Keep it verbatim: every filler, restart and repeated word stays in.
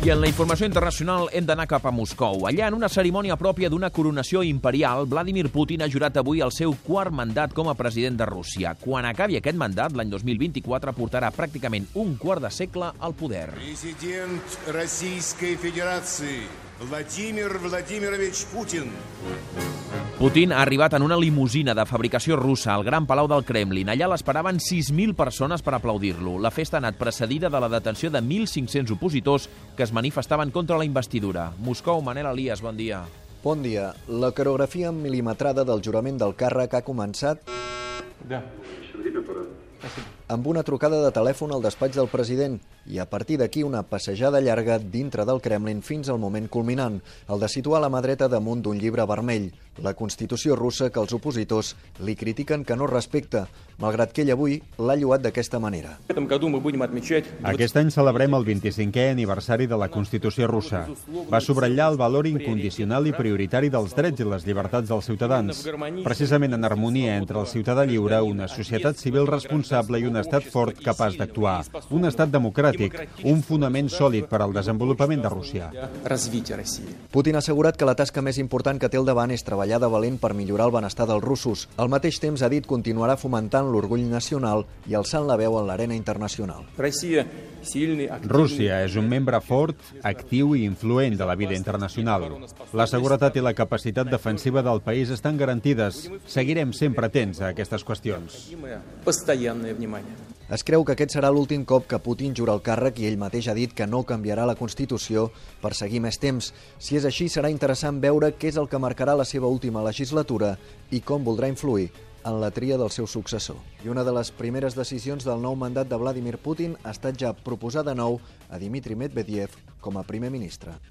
I en la informació internacional hem d'anar cap a Moscou. Allà, en una cerimònia pròpia d'una coronació imperial, Vladimir Putin ha jurat avui el seu quart mandat com a president de Rússia. Quan acabi aquest mandat, l'any dos mil vint-i-quatre, portarà pràcticament un quart de segle al poder. President Российской Федерации Vladimir Vladimirovich Putin. Putin ha arribat en una limusina de fabricació russa al Gran Palau del Kremlin. Allà l'esperaven sis mil persones per aplaudir-lo. La festa ha anat precedida de la detenció de mil cinc-cents opositors que es manifestaven contra la investidura. Moscou, Manel Elias, bon dia. Bon dia. La coreografia milimetrada del jurament del càrrec ha començat amb una trucada de telèfon al despatx del president i a partir d'aquí una passejada llarga dintre del Kremlin fins al moment culminant, el de situar la mà dreta damunt d'un llibre vermell, la Constitució russa que els opositors li critiquen que no respecta, malgrat que ell avui l'ha lloat d'aquesta manera. Aquest any celebrem el vint-i-cinquè aniversari de la Constitució russa. Va subratllar el valor incondicional i prioritari dels drets i les llibertats dels ciutadans, precisament en harmonia entre el ciutadà lliure, una societat civil responsable i un estat fort capaç d'actuar, un estat democràtic, un fonament sòlid per al desenvolupament de Rússia. Putin ha assegurat que la tasca més important que té al davant és treballar de valent per millorar el benestar dels russos. Al mateix temps, ha dit, continuarà fomentant l'orgull nacional i alçant la veu en l'arena internacional. Rússia és un membre fort, actiu i influent de la vida internacional. La seguretat i la capacitat defensiva del país estan garantides. Seguirem sempre atents a aquestes qüestions. Es creu que aquest serà l'últim cop que Putin jura el càrrec i ell mateix ha dit que no canviarà la Constitució per seguir més temps. Si és així, serà interessant veure què és el que marcarà la seva última legislatura i com voldrà influir en la tria del seu successor. I una de les primeres decisions del nou mandat de Vladimir Putin ha estat ja proposar de nou a Dmitry Medvedev com a primer ministre.